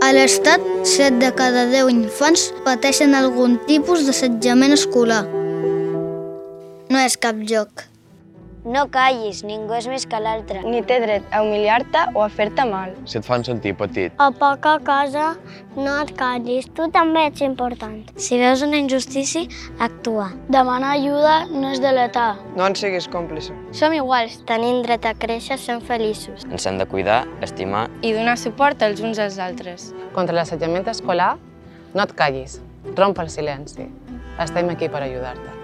A l'Estat, 7 de cada 10 infants pateixen algun tipus d'assetjament escolar. No és cap joc. No callis, ningú és més que l'altre. Ni té dret a humiliar-te o a fer-te mal. Si et fan sentir petit. A poca cosa, no et callis. Tu també ets important. Si veus una injustícia, actua. Demanar ajuda no és deletar. No en siguis còmplice. Som iguals, tenim dret a créixer sent feliços. Ens hem de cuidar, estimar i donar suport els uns als altres. Contra l'assetjament escolar, no et callis, romp el silenci. Estem aquí per ajudar-te.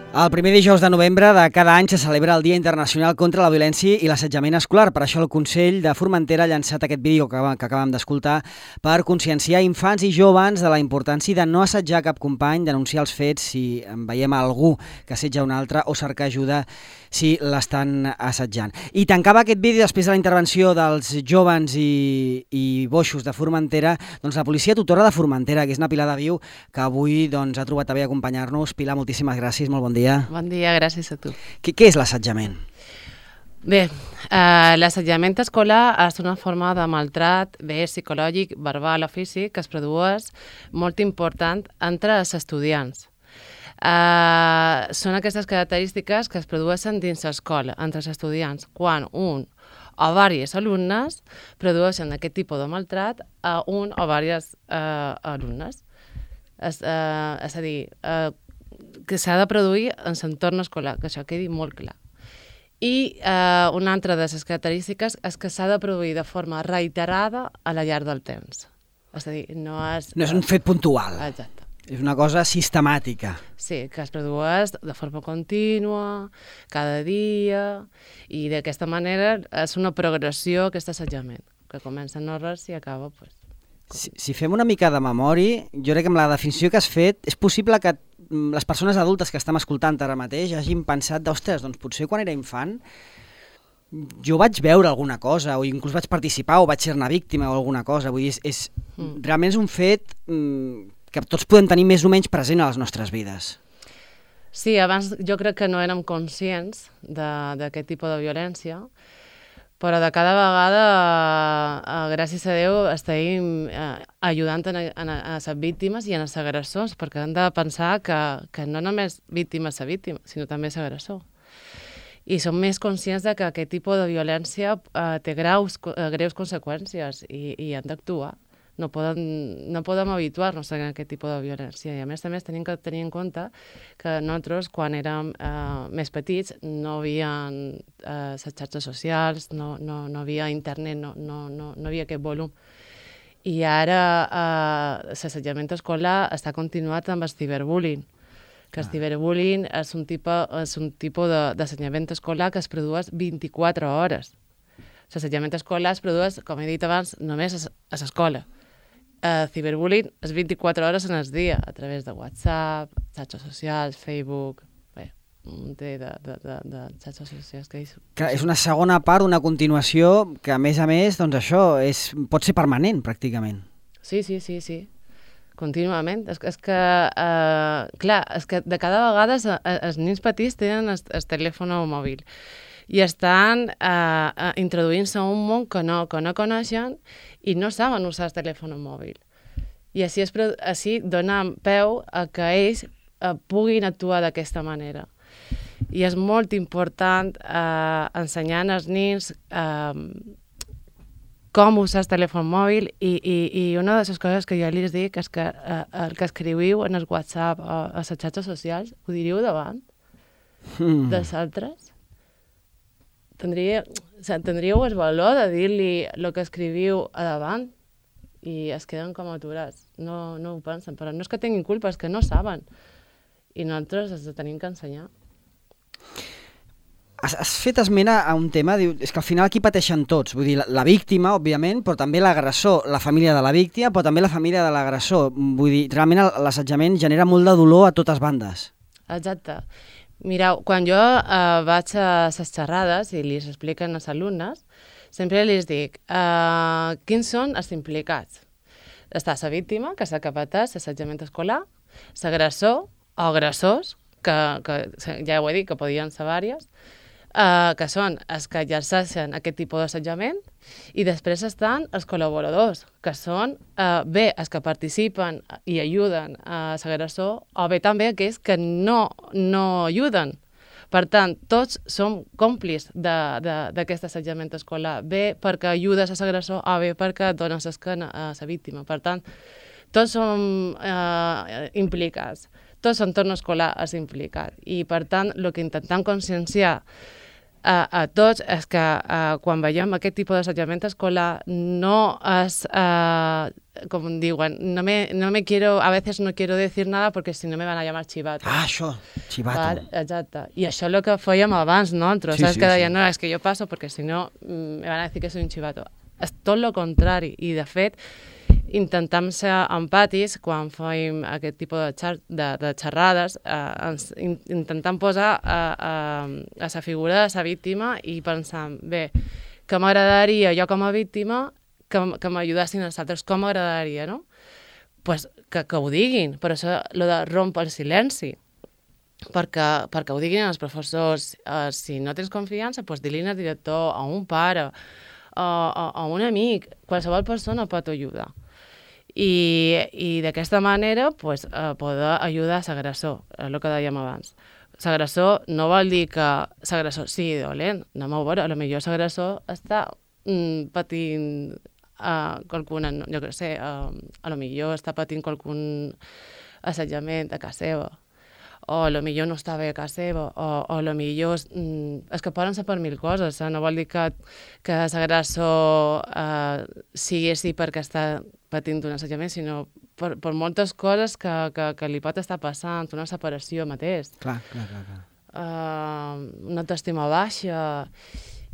El primer dijous de novembre de cada any se celebra el Dia Internacional contra la Violència i l'Assetjament Escolar. Per això el Consell de Formentera ha llançat aquest vídeo que acabem d'escoltar per conscienciar infants i joves de la importància de no assetjar cap company, denunciar els fets si en veiem algú que assetja un altre o cercar ajuda si l'estan assetjant. I tancava aquest vídeo després de la intervenció dels joves i boixos de Formentera, doncs la policia tutora de Formentera, que és una Pilar de Viu, que avui ha trobat a bé acompanyar-nos. Pilar, moltíssimes gràcies, molt bon dia. Bon dia, gràcies a tu. Què és l'assetjament? Bé, l'assetjament escolar és una forma de maltrat, bé psicològic, verbal o físic, que es produeix molt important entre els estudiants. Són aquestes característiques que es produeixen dins l'escola, entre els estudiants, quan un o diversos alumnes produeixen aquest tipus de maltrat a un o diversos alumnes. És a dir, que s'ha de produir en l'entorn escolar, que això quedi molt clar. I una altra de les característiques és que s'ha de produir de forma reiterada a la llarg del temps. És a dir, no és un fet puntual. Exacte. És una cosa sistemàtica. Sí, que es produeix de forma contínua, cada dia, i d'aquesta manera és una progressió, aquest assetjament, que comença no res i acaba... Si fem una mica de memòria, jo crec que amb la definició que has fet, és possible que les persones adultes que estem escoltant ara mateix hagin pensat d'ostres, doncs potser quan era infant jo vaig veure alguna cosa, o inclús vaig participar, o vaig ser-ne víctima o alguna cosa. Vull dir, realment és un fet que tots podem tenir més o menys present a les nostres vides. Sí, abans jo crec que no érem conscients d'aquest tipus de violència, però de cada vegada, gràcies a Déu, estem ajudant a les víctimes i a les agressors, perquè hem de pensar que no només víctima és la víctima, sinó també és l'agressor. I som més conscients que aquest tipus de violència té greus conseqüències i han d'actuar. No podem habituar-nos a aquest tipus de violència. I a més tenim que tenir en compte que nosaltres, quan érem més petits, no hi havia les xarxes socials, no hi havia internet, no hi havia aquest volum. I ara l'assetjament escolar està continuat amb el ciberbullying, que el ciberbullying és un tipus d'assetjament escolar que es produeix 24 hores. L'assetjament escolar es produeix, com he dit abans, només a l'escola. Ciberbullying és 24 hores en el dia, a través de WhatsApp, xarxes socials, Facebook, un munt de xarxes socials que és una segona part, una continuació, que a més, doncs això pot ser permanent, pràcticament. Sí, contínuament. És que, clar, és que de cada vegada els nens petits tenen el telèfon mòbil i estan introduint-se a un món que no coneixen i no saben usar el telèfon mòbil. I així dona peu a que ells puguin actuar d'aquesta manera. I és molt important ensenyar als nens com usar el telèfon mòbil i una de les coses que jo els dic és que el que escriviu en el WhatsApp o a les xarxes socials ho diríeu davant dels altres. Tindríeu el valor de dir-li el que escriviu a davant i es queden com aturats. No ho pensen, però no és que tinguin culpa, és que no saben. I nosaltres els tenim que ensenyar. Has fet esment a un tema, és que al final aquí pateixen tots, vull dir, la víctima, òbviament, però també l'agressor, la família de la víctima, però també la família de l'agressor. Vull dir, realment l'assetjament genera molt de dolor a totes bandes. Exacte. Mireu, quan jo vaig a les xerrades i els expliquen als alumnes, sempre els dic quins són els implicats. Està la víctima, que és la que pateix l'assetjament escolar, l'agressor o agressors, que ja ho he dit, que podien ser diversos, que són els que exerceixen aquest tipus d'assetjament, i després estan els col·laboradors, que són bé els que participen i ajuden a l'agressor, o bé també aquells que no ajuden. Per tant, tots som còmplices d'aquest assetjament escolar, bé perquè ajudes a l'agressor o bé perquè dones l'esquena a la víctima. Per tant, tots som implicats, tots l'entorn escolar és implicat. I, per tant, el que intentem conscienciar a tots és que quan veiem aquest tipus d'assetjament escolar no és, com diuen, a veces no quiero decir nada porque si no me van a llamar chivato. Ah, això, chivato. Vale, exacte. I això és el que fèiem abans, no? Sí, saps sí, que deien, sí. no, és que jo passo perquè si no me van a decir que soy un chivato. És tot el contrari. I, de fet, intentem ser empàtics quan fem aquest tipus de xerrades, intentem posar a la figura de la víctima i pensar, bé, que m'agradaria jo com a víctima que m'ajudessin els altres, com m'agradaria, no? Pues que ho diguin, per això el de rompre el silenci, perquè ho diguin els professors. Si no tens confiança, pues di-li al director, a un pare, a un amic, qualsevol persona pot ajudar. I d'aquesta manera pues, poder ajudar l'agressor, el que dèiem abans. L'agressor no vol dir que l'agressor sigui dolent, anem a veure, potser l'agressor està patint qualcuna, jo què sé, potser està patint qualcun assetjament a casa seva, o potser no està bé a casa seva, o potser és que poden ser per mil coses, no vol dir que l'agressor sigui així perquè està patint un assetjament, sinó per moltes coses que li pot estar passant, una separació mateix. Clar. Una autoestima baixa.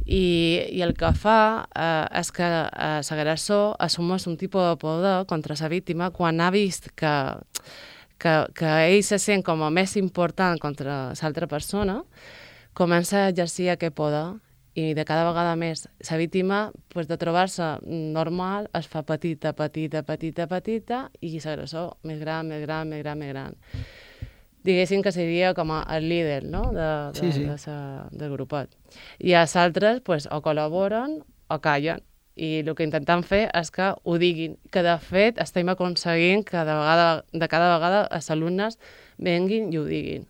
I el que fa és que l'agressor assumeix un tipus de poder contra la víctima quan ha vist que ell se sent com a més important contra l'altra persona, comença a exercir aquest poder i de cada vegada més la víctima, pues, de trobar-se normal, es fa petita i l'agressor més gran. Diguéssim que seria com el líder, no? del grupet. I els altres pues, o col·laboren o callen. I el que intentem fer és que ho diguin, que de fet estem aconseguint que de cada vegada els alumnes venguin i ho diguin.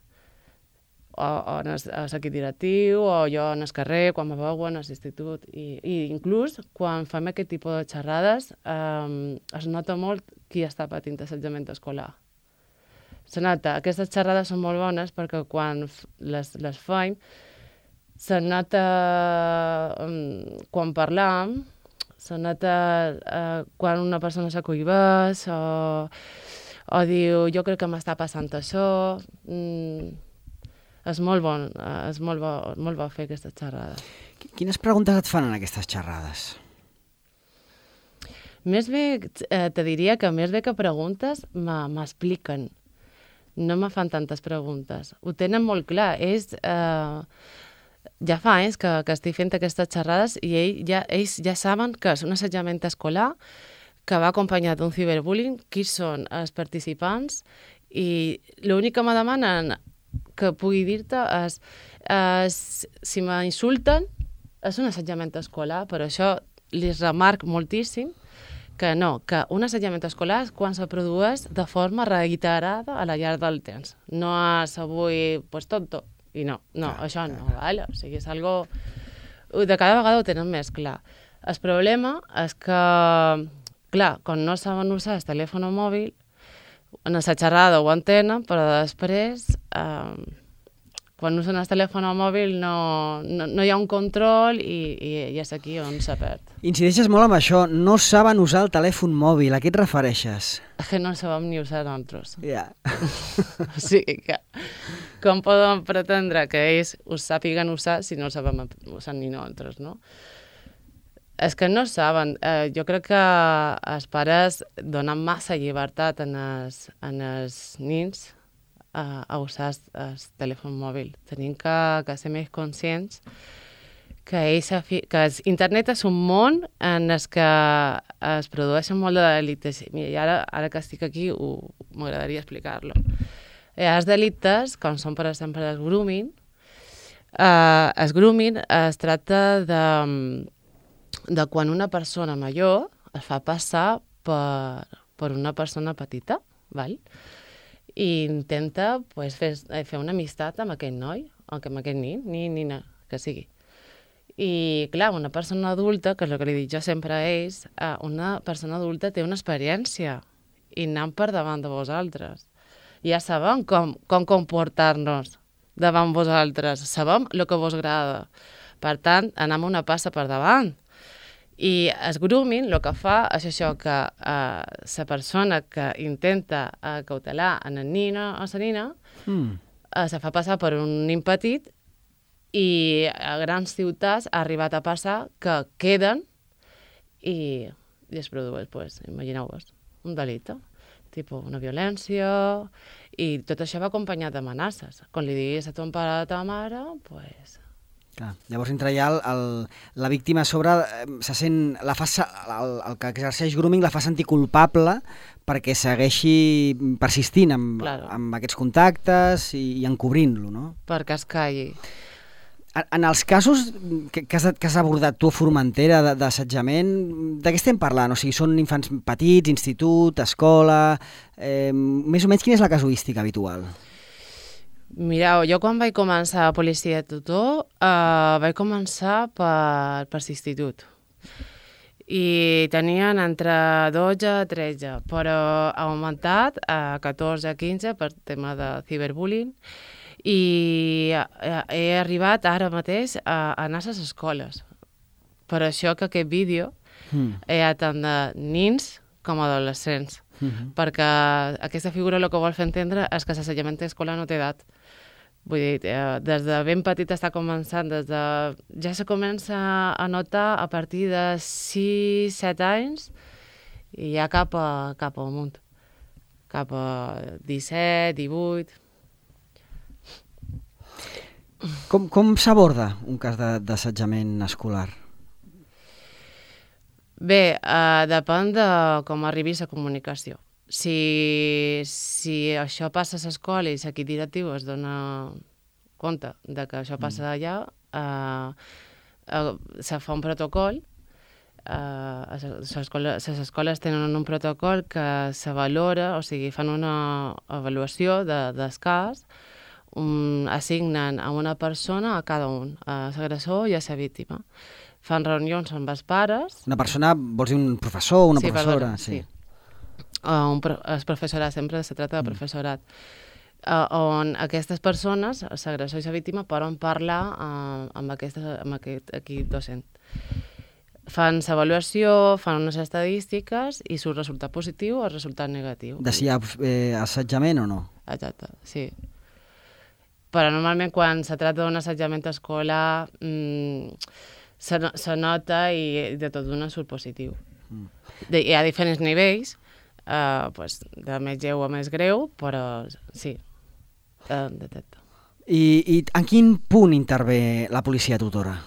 O en l'equip directiu, o jo en el carrer, quan me veuen, a l'institut. I inclús quan fem aquest tipus de xerrades es nota molt qui està patint assetjament escolar. Se nota, aquestes xerrades són molt bones perquè quan les fem se nota quan parlam, se nota quan una persona s'acollibeix o diu jo crec que m'està passant això. És molt bo fer aquestes xerrades. Quines preguntes et fan en aquestes xerrades? Més bé, te diria que més bé que preguntes m'expliquen. No me fan tantes preguntes. Ho tenen molt clar. Ja fa anys que estic fent aquestes xerrades i ells ja saben que és un assetjament escolar que va acompanyat d'un ciberbullying, qui són els participants, i l'únic que me demanen que pugui dir-te és si m'insulten és un assetjament escolar, però això li remarc moltíssim que no, que un assetjament escolar és quan se produeix de forma reiterada a la llarg del temps. No és avui, pues tonto, i no, això no, vale? O sigui, és algo... De cada vegada ho tenen més clar. El problema és que, clar, quan no saben usar el telèfon mòbil, en la xerrada ho entenen, però després, quan usen el telèfon mòbil no hi ha un control i és aquí on se perd. Incideixes molt amb això, no saben usar el telèfon mòbil, a què et refereixes? És que no el sabem ni usar nosaltres. Ja. O sigui que, com podem pretendre que ells ho sàpiguen usar si no el sabem usar ni nosaltres, no? És que no saben. Jo crec que els pares donen massa llibertat en els nens a usar el telèfon mòbil. Tenim que ser més conscients que internet és un món en el que es produeixen molt de delictes. I ara que estic aquí m'agradaria explicar-lo. Els delictes, com són per exemple el grooming, El grooming es tracta de quan una persona major es fa passar per una persona petita, val? I intenta fer una amistat amb aquell noi, o amb aquell nina, que sigui. I, clar, una persona adulta, que és el que li dic jo sempre a ells, una persona adulta té una experiència i anem per davant de vosaltres. Ja sabem com comportar-nos davant vosaltres, sabem el que vos agrada. Per tant, anem una passa per davant. I el grooming el que fa és això, que la persona que intenta cautelar a la nina o la nina se fa passar per un nin petit i a grans ciutats ha arribat a passar que queden i es produeix, pues, imagineu-vos, un delicte, tipus una violència, i tot això va acompanyat d'amenaces. Quan li diguis a ton pare o a ta mare, pues... Clar. Llavors, entre ja la víctima a sobre se sent, el que exerceix grooming la fa sentir culpable perquè segueixi persistint amb aquests contactes i encobrint-lo, no? Perquè es calli. En els casos que has abordat tu a Formentera d'assetjament, de què estem parlant? O sigui, són infants petits, institut, escola... Més o menys quina és la casuística habitual? Mireu, jo quan vaig començar a policia de tutor, vaig començar per l'institut. I tenien entre 12 i 13, però ha augmentat a 14 a 15 per tema de ciberbullying. I he arribat ara mateix a anar a les escoles. Per això que aquest vídeo hi ha tant de nins com adolescents, perquè aquesta figura el que vol fer entendre és que l'assetjament escolar no té edat. Vull dir, des de ben petit està començant, ja se comença a notar a partir de 6-7 anys i ja cap al munt, cap a 17, 18... Com s'aborda un cas d'assetjament escolar? Bé, depèn de com arribi la comunicació. Si això passa a l'escola i l'equip directiu es dona compte de que això passa allà, se fa un protocol. Les escoles tenen un protocol que se valora, o sigui, fan una avaluació del cas, assignen a una persona a cada un, a l'agressor i a la víctima. Fan reunions amb els pares. Una persona, vols dir un professor o una professora? Sí. El professorat, sempre se tracta de professorat. On aquestes persones, l'agressor i la víctima, poden parlar amb aquest equip docent. Fan l'avaluació, fan unes estadístiques i surt resultat positiu o resultat negatiu. De si hi ha assetjament o no? Exacte, sí. Però normalment quan se tracta d'un assetjament escolar se nota i de tot d'una surt positiu. Hi ha diferents nivells, de més lleu a més greu, però sí, detecta. I en quin punt intervé la policia tutora?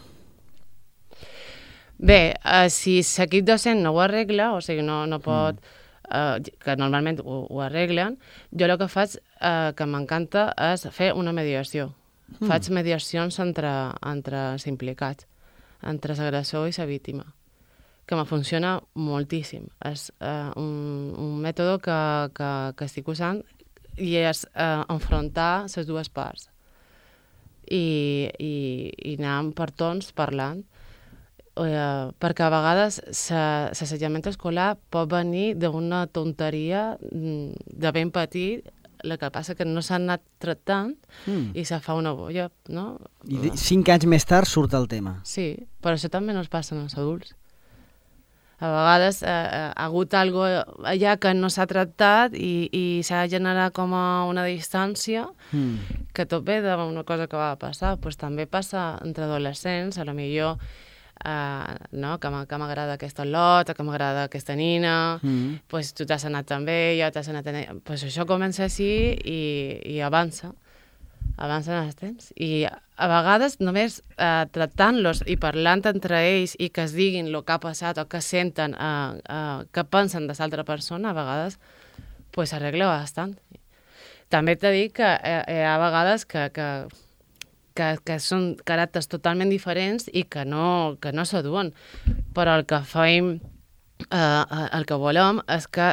Bé, si l'equip docent no ho arregla, o sigui, no pot... que normalment ho arreglen, jo el que faig, que m'encanta, és fer una mediació. Faig mediacions entre els implicats, entre l'agressor i la víctima, que me funciona moltíssim. És un mètode que estic usant i és enfrontar les dues parts i anar per torns parlant. Perquè a vegades l'assetjament escolar pot venir d'una tonteria de ben petit, el que passa que no s'ha anat tractant i se fa una bolla, no? I 5 anys més tard surt el tema. Sí, però això també no es passa als adults. A vegades ha hagut alguna cosa allà que no s'ha tractat i s'ha generat com una distància que tot ve d'una cosa que va passar. Pues també passa entre adolescents, potser no, que m'agrada aquesta lot, que m'agrada aquesta nina, pues tu t'has anat també, jo t'has anat... Pues això comença així i avança en els temps. I a vegades només tractant-los i parlant entre ells i que es diguin el que ha passat o que senten, que pensen de l'altra persona, a vegades pues s'arregla bastant. També t'he dit que hi ha vegades que que són caràcters totalment diferents i que no s'aduen. Però el que fem, el que volem és que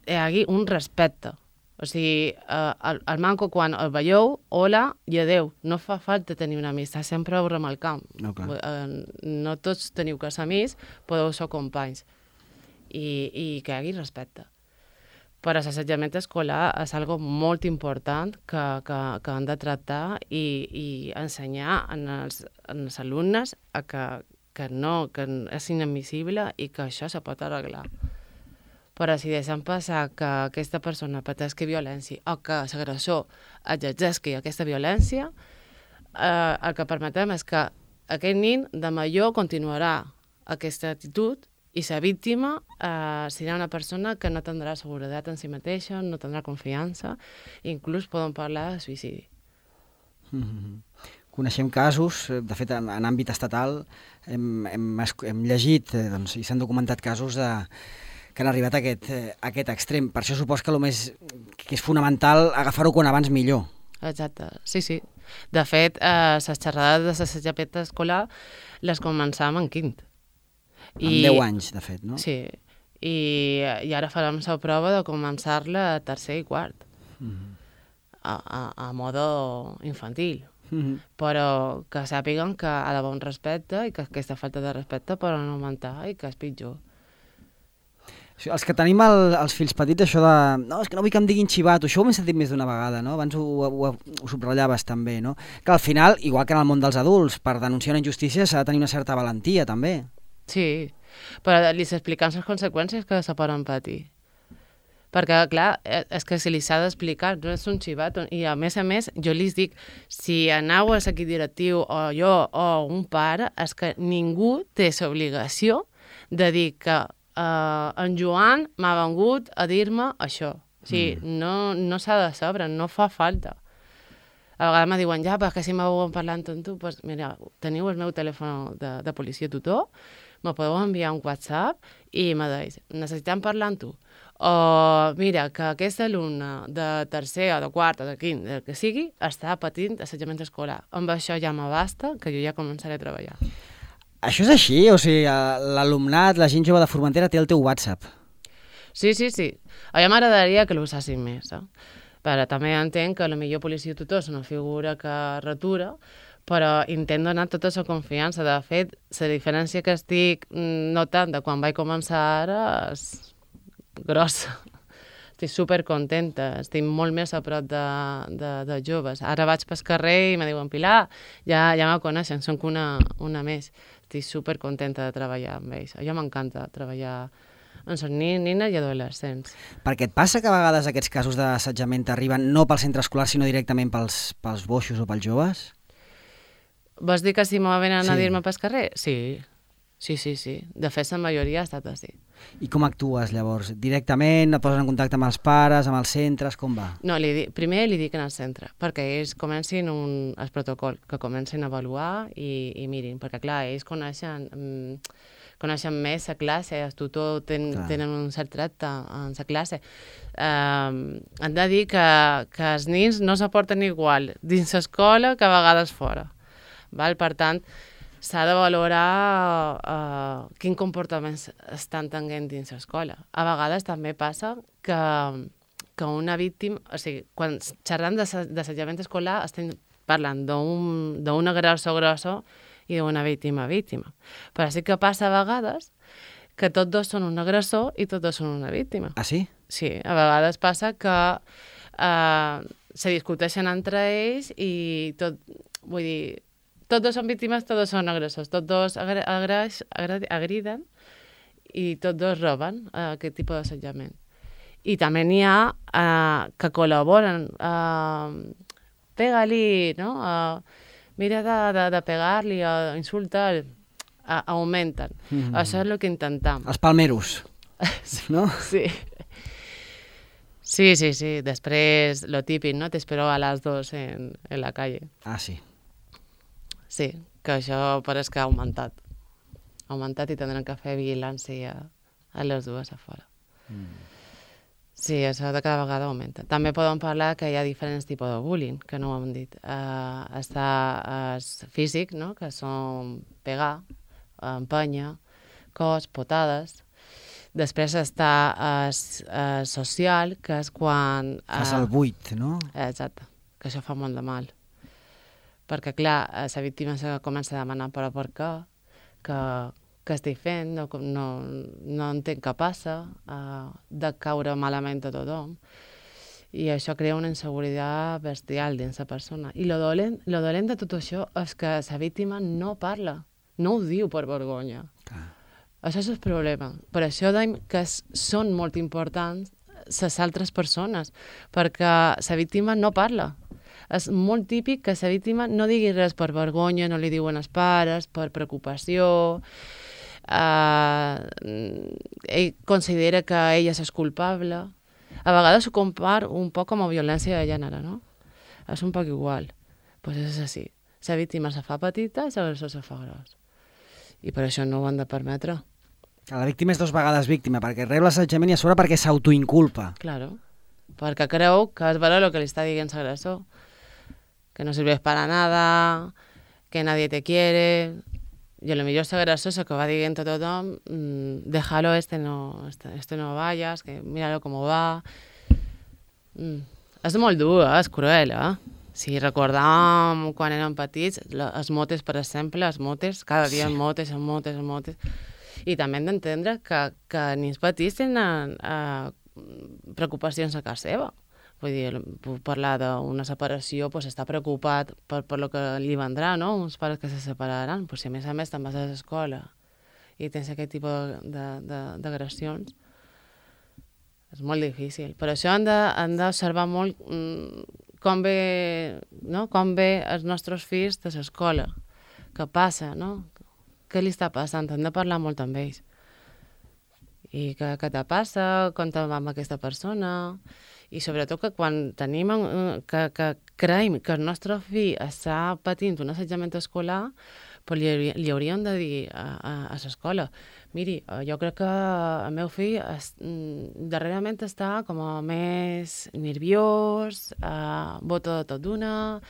hi hagi un respecte. O sigui, el manco quan el veieu, hola i adeu. No fa falta tenir una amistat, sempre ho remarcam. No tots teniu que ser amics, podeu ser companys. I que hi hagi respecte. Però l'assetjament escolar és algo molt important que han de tractar i ensenyar als alumnes que és inadmissible i que això se pot arreglar. Però si deixem passar que aquesta persona pateixi violència o que l'agressor exerceixi aquesta violència, el que permetem és que aquest nin de major continuarà aquesta actitud i la víctima serà una persona que no tindrà seguretat en si mateixa, no tindrà confiança, i inclús poden parlar de suïcidi. Coneixem casos, de fet en àmbit estatal hem llegit i s'han documentat casos que han arribat a aquest extrem. Per això supos que que és fonamental agafar-ho quan abans millor. Exacte, sí. De fet, les xerrades de l'assetjament escolar les començàvem en quint. Amb 10 anys, de fet, no? Sí, i ara farem la prova de començar-la a tercer i quart, a modo infantil. Però que sàpiguen que ha d'haver un respecte i que aquesta falta de respecte pot augmentar i que és pitjor. Els que tenim els fills petits, això de... No, és que no vull que em diguin xivato, això ho m'he sentit més d'una vegada, no? Abans ho subratllaves també, no? Que al final, igual que en el món dels adults, per denunciar una injustícia s'ha de tenir una certa valentia, també. Sí, però li s'expliquen les conseqüències que se poden patir. Perquè, clar, és que si li s'ha d'explicar, no és un xivato. I a més, jo li dic, si aneu a l'equip directiu o jo o un pare, és que ningú té l'obligació de dir que en Joan m'ha vengut a dir-me això. O sigui, no s'ha de saber, no fa falta. A vegades me diuen, ja, perquè si m'ho parlant amb tu, doncs mira, teniu el meu telèfon de policia tutor, me podeu enviar un WhatsApp i me deis, necessitem parlar amb tu. O mira, que aquest alumne de tercer o de quart o de quint, del que sigui, està patint assetjament escolar. Amb això ja me basta, que jo ja començaré a treballar. Això és així? O sigui, l'alumnat, la gent jove de Formentera té el teu WhatsApp? Sí. A mi m'agradaria que l'usassin més, però també entenc que potser policia tutor és una figura que retura, però intento donar tota la confiança. De fet, la diferència que estic notant de quan vaig començar ara és grossa. Estic supercontenta, estic molt més a prop de joves. Ara vaig pel carrer i me diuen, Pilar, ja me coneixen, soc una més. Estic supercontenta de treballar amb ells. A mi m'encanta treballar amb els nines i adolescents. Perquè et passa que a vegades aquests casos d'assetjament arriben no pel centre escolar, sinó directament pels boixos o pels joves? Vols dir que si m'ho venen a dir-me pel carrer? Sí. De fet, la majoria ha estat així. I com actues, llavors? Directament, et poses en contacte amb els pares, amb els centres, com va? No, primer li dic en el centre, perquè ells comencin el protocol, que comencin a avaluar i mirin, perquè clar, ells coneixen més la classe, els tutors tenen un cert tracte en la classe. Han de dir que els nins no s'aporten igual dins l'escola que a vegades fora. Per tant, s'ha de valorar quin comportament estan tenint dins l'escola. A vegades també passa que una víctima... O sigui, quan xerrant d'assetjament escolar estem parlant d'un agressor i d'una víctima. Però sí que passa a vegades que tots dos són un agressor i tots dos són una víctima. Ah, sí? Sí, a vegades passa que se discuteixen entre ells i vull dir, tots dos són víctimes, tots dos són agressors, tots dos agriden i tots dos roben aquest tipus d'assetjament. I també n'hi ha que col·laboren, pega-li, no? Mira de pegar-li o insultar, augmenten. Això és el que intentem. Els palmeros, no? Sí. Sí. Després, lo típic, ¿no? Te espero a las 2 en la calle. Ah, sí. Sí, que això pareix que ha augmentat. Ha augmentat i tindran que fer vigilància a les dues a fora. Sí, això de cada vegada augmenta. També podem parlar que hi ha diferents tipus de bullying, que no ho hem dit. Està el físic, no? Que són pegar, empènyer, cos, potades. Després està el social, que és quan... Fas el buit, no? Exacte, que això fa molt de mal. Perquè, clar, la víctima se comença a demanar però per què, que estic fent, no entenc què passa, de caure malament a tothom. I això crea una inseguretat bestial dins la persona. I lo dolent de tot això és que la víctima no parla, no ho diu per vergonya. Clar. Això és el problema. Per això dèiem que són molt importants les altres persones, perquè la víctima no parla. És molt típic que la víctima no digui res per vergonya, no li diuen els pares, per preocupació. Ell considera que ella és culpable. A vegades ho compara un poc com a violència de gènere, no? És un poc igual. Pues és així. La víctima se fa petita i l'agressor se fa gros. I per això no ho han de permetre. La víctima és 2 vegades víctima, perquè rep l'assetjament i a sobre perquè s'autoinculpa. Claro, perquè creu que és vera el que li està dient l'agressor. Que no sirves para nada, que nadie te quiere. Y a lo mejor ese agresor que va diciendo a tothom, déjalo, este no vayas, que míralo cómo va. És molt dur, és cruel, Si recordàvem quan érem petits, els motes, per exemple, cada dia sí. motes. I també hem d'entendre que ni els petits tenen preocupacions a casa seva. Vull dir, puc parlar d'una separació, doncs està preocupat per lo que li vendrà, no? Uns pares que se separaran. Pues si a més te'n vas a l'escola i tens aquest tipus d'agressions, és molt difícil. Per això han d'observar molt com ve els nostres fills de l'escola, què passa, no? Què li està passant? Hem de parlar molt amb ells. I què te passa? Com te va amb aquesta persona? I sobretot que quan tenim que creiem que el nostre fill està patint un assetjament escolar, pues li hauríem de dir a l'escola, miri, jo crec que el meu fill darrerament està com a més nerviós, bota tot d'una,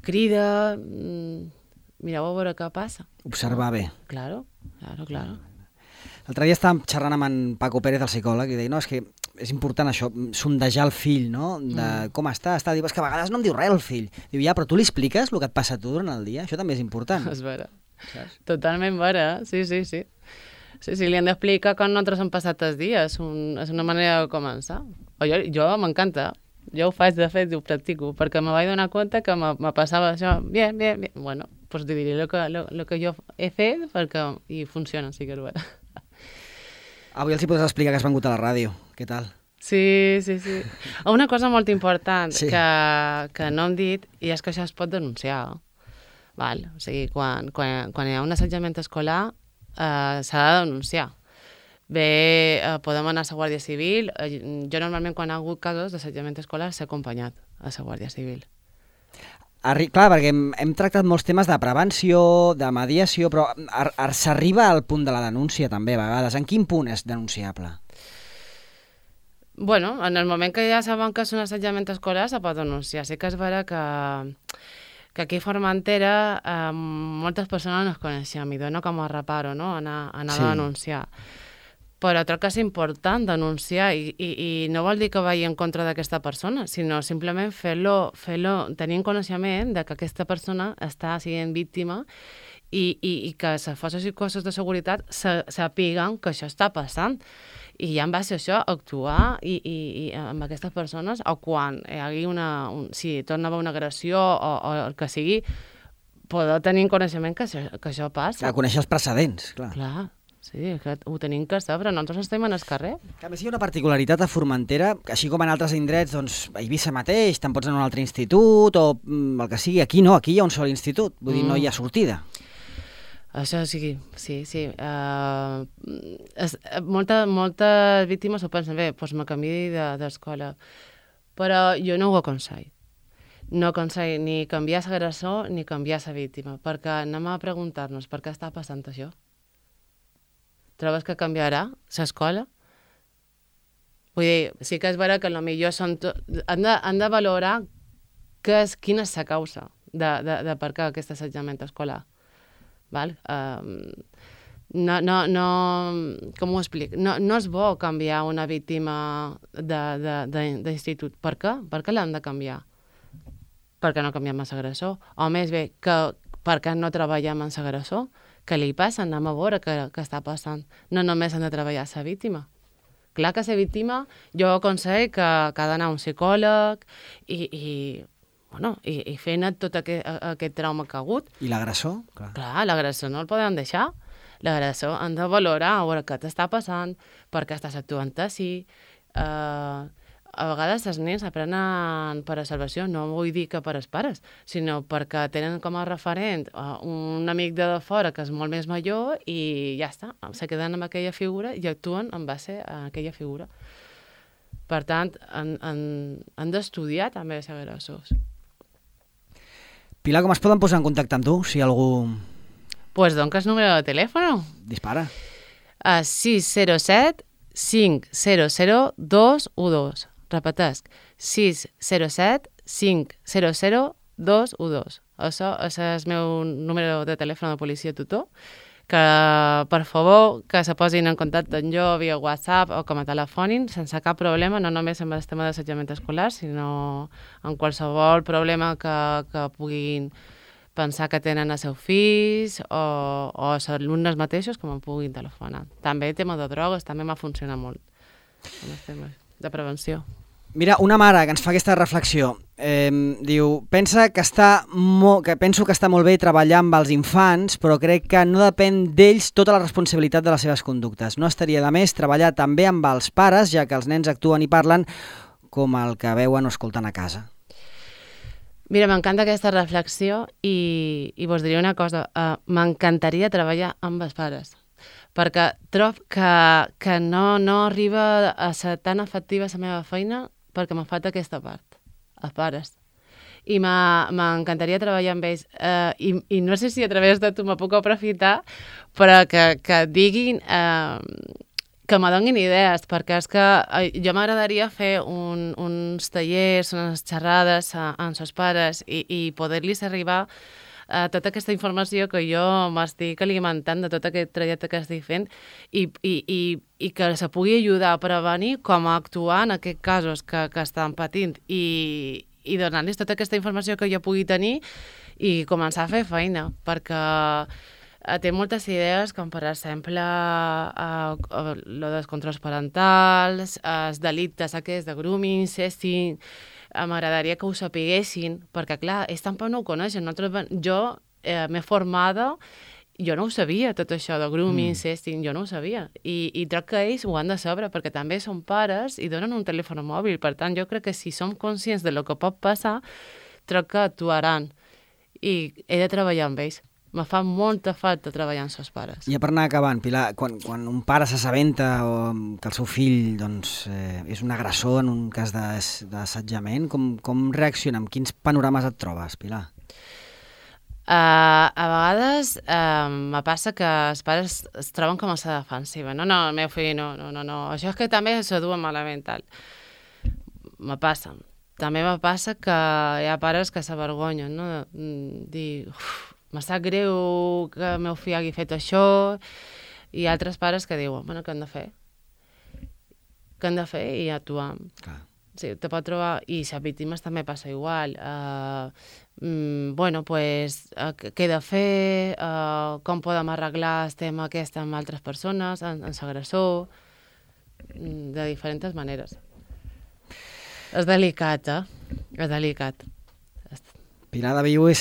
crida, mireu a veure què passa. Observar bé. Claro. L'altre dia estàvem xerrant amb en Paco Pérez, el psicòleg, i deia, no, és que és important això, sondejar el fill, no? De com està. Diu, és que a vegades no em diu res el fill. Diu, ja, però tu li expliques el que et passa a tu durant el dia? Això també és important. És vera. Saps? Totalment vera, sí. Sí, li han d'explicar com nosaltres hem passat els dies. És una manera de començar. Jo m'encanta. Jo ho faig, de fet, ho practico, perquè me vaig donar compte que me passava això. Bien. Bueno, pues te diré lo que jo he fet i funciona, sí que és vera. Avui els hi podràs explicar que has vengut a la ràdio. Què tal? Sí. Una cosa molt important que no hem dit, i és que això es pot denunciar. Val? O sigui, quan hi ha un assetjament escolar, s'ha de denunciar. Bé, podem anar a la Guàrdia Civil. Jo normalment, quan hi ha hagut casos d'assetjament escolar, s'ha acompanyat a la Guàrdia Civil. Clar, perquè hem tractat molts temes de prevenció, de mediació, però s'arriba al punt de la denúncia també a vegades. En quin punt és denunciable? Bueno, en el moment que ja saben que és un assetjament escolar se pot denunciar. Sí que és vera que aquí a Formentera moltes persones no es coneixem i dona com a reparo, no? Anar a denunciar. Però crec que és important denunciar i no vol dir que vagi en contra d'aquesta persona, sinó simplement fer-lo tenint coneixement de que aquesta persona està sent víctima i que les forces i cossos de seguretat sàpiguen que això està passant. I ja en base a això actuar i amb aquestes persones, o quan hi hagi si torna a haver una agressió o el que sigui, poder tenir coneixement que això passa. Conèixer els precedents, clar. Clar. Sí, que ho tenim que saber, nosaltres estem en el carrer. A més, hi ha una particularitat a Formentera, que així com en altres indrets, doncs, a Eivissa mateix, te'n pots anar a un altre institut, o el que sigui. Aquí no, aquí hi ha un sol institut, vull dir, no hi ha sortida. Això sí. Moltes víctimes ho pensen, bé, doncs me canviï d'escola. Però jo no ho aconsello. No aconsello ni canviar l'agressor ni canviar la víctima, perquè anem a preguntar-nos per què està passant això. Trobes que canviarà l'escola? Vull dir, sí que és vera que potser han de valorar quina és la causa de per què aquest assetjament escolar. Val? Com ho explico? No és bo canviar una víctima d'institut. Per què? Per què l'han de canviar? Perquè no canviem amb l'agressor. O més bé, per què no treballem amb l'agressor? Què li passa? Anem a veure què està passant. No només han de treballar la víctima. Clar que la víctima, jo aconsello que ha d'anar a un psicòleg i fer net tot aquest trauma que ha hagut. I l'agressor? Clar, l'agressor no el podem deixar. L'agressor han de valorar, a veure què t'està passant, per què estàs actuant així. A vegades els nens aprenen per observació, no vull dir que per els pares, sinó perquè tenen com a referent un amic de fora que és molt més major i ja està, se queden amb aquella figura i actuen en base a aquella figura. Per tant, han d'estudiar també els agressors. Pilar, com es poden posar en contacte amb tu, si algú... Pues dones el número de telèfon. Dispara. 607 500 212. Repetesc, 607 500 212. Això és el meu número de telèfon de policia tutor, que per favor que se posin en contacte amb jo via WhatsApp o com a telefònic sense cap problema, no només amb el tema d'assetjament escolar, sinó en qualsevol problema que puguin pensar que tenen els seus fills o els alumnes mateixos que me'n puguin telefonar. També el tema de drogues també m'ha funcionat molt en els temes de prevenció. Mira, una mare que ens fa aquesta reflexió, diu, penso que està molt bé treballar amb els infants, però crec que no depèn d'ells tota la responsabilitat de les seves conductes. No estaria de més treballar també amb els pares, ja que els nens actuen i parlen com el que veuen o escolten a casa. Mira, m'encanta aquesta reflexió i vos diré una cosa, m'encantaria treballar amb els pares, perquè trob que no arriba a ser tan efectiva la meva feina perquè me falta aquesta part, els pares. I m'encantaria treballar amb ells. I no sé si a través de tu me puc aprofitar, però que diguin, que me donin idees, perquè és que jo m'agradaria fer uns tallers, unes xerrades amb els pares i poder-los arribar tota aquesta informació que jo m'estic alimentant de tot aquest trajecte que estic fent i que se pugui ajudar a prevenir com a actuar en aquests casos que estan patint i donar-los tota aquesta informació que jo pugui tenir i començar a fer feina, perquè té moltes idees, com per exemple lo dels controls parentals, els delictes aquests de grooming, sexting. M'agradaria que ho sapiguessin, perquè clar, ells tampoc no ho coneixen. Jo m'he formada, jo no ho sabia, tot això de grooming, sexting, jo no ho sabia. I crec que ells ho han de saber, perquè també són pares i donen un telèfon mòbil. Per tant, jo crec que si som conscients de lo que pot passar, crec que actuaran. I he de treballar amb ells. Me fa molta falta treballar amb els pares. I per anar acabant, Pilar, quan un pare s'assabenta que el seu fill és un agressor en un cas d'assetjament, com reacciona? Amb quins panorames et trobes, Pilar? A vegades me passa que els pares es troben com a la defensiva. No, el meu fill no. Això és que també s'ho duen malament, tal. Me passa. També me passa que hi ha pares que s'avergonyen, no? Dir... me sap greu que el meu fill hagi fet això, i altres pares que diuen, bueno, què hem de fer? Què hem de fer? I actuar. Sí, te pot trobar... I les víctimes també passa igual. Bueno, pues, què he de fer? Com podem arreglar el tema aquest amb altres persones, amb l'agressor? De diferents maneres. És delicat, És delicat. Pilar de Viu és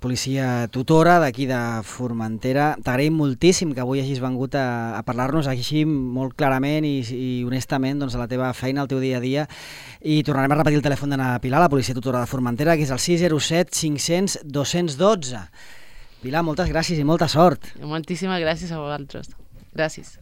policia tutora d'aquí de Formentera. T'agraïm moltíssim que avui hagis vengut a parlar-nos així molt clarament i honestament de la teva feina, el teu dia a dia. I tornarem a repetir el telèfon de la Pilar, la policia tutora de Formentera, que és el 607 500 212. Pilar, moltes gràcies i molta sort. Moltíssimes gràcies a vosaltres. Gràcies.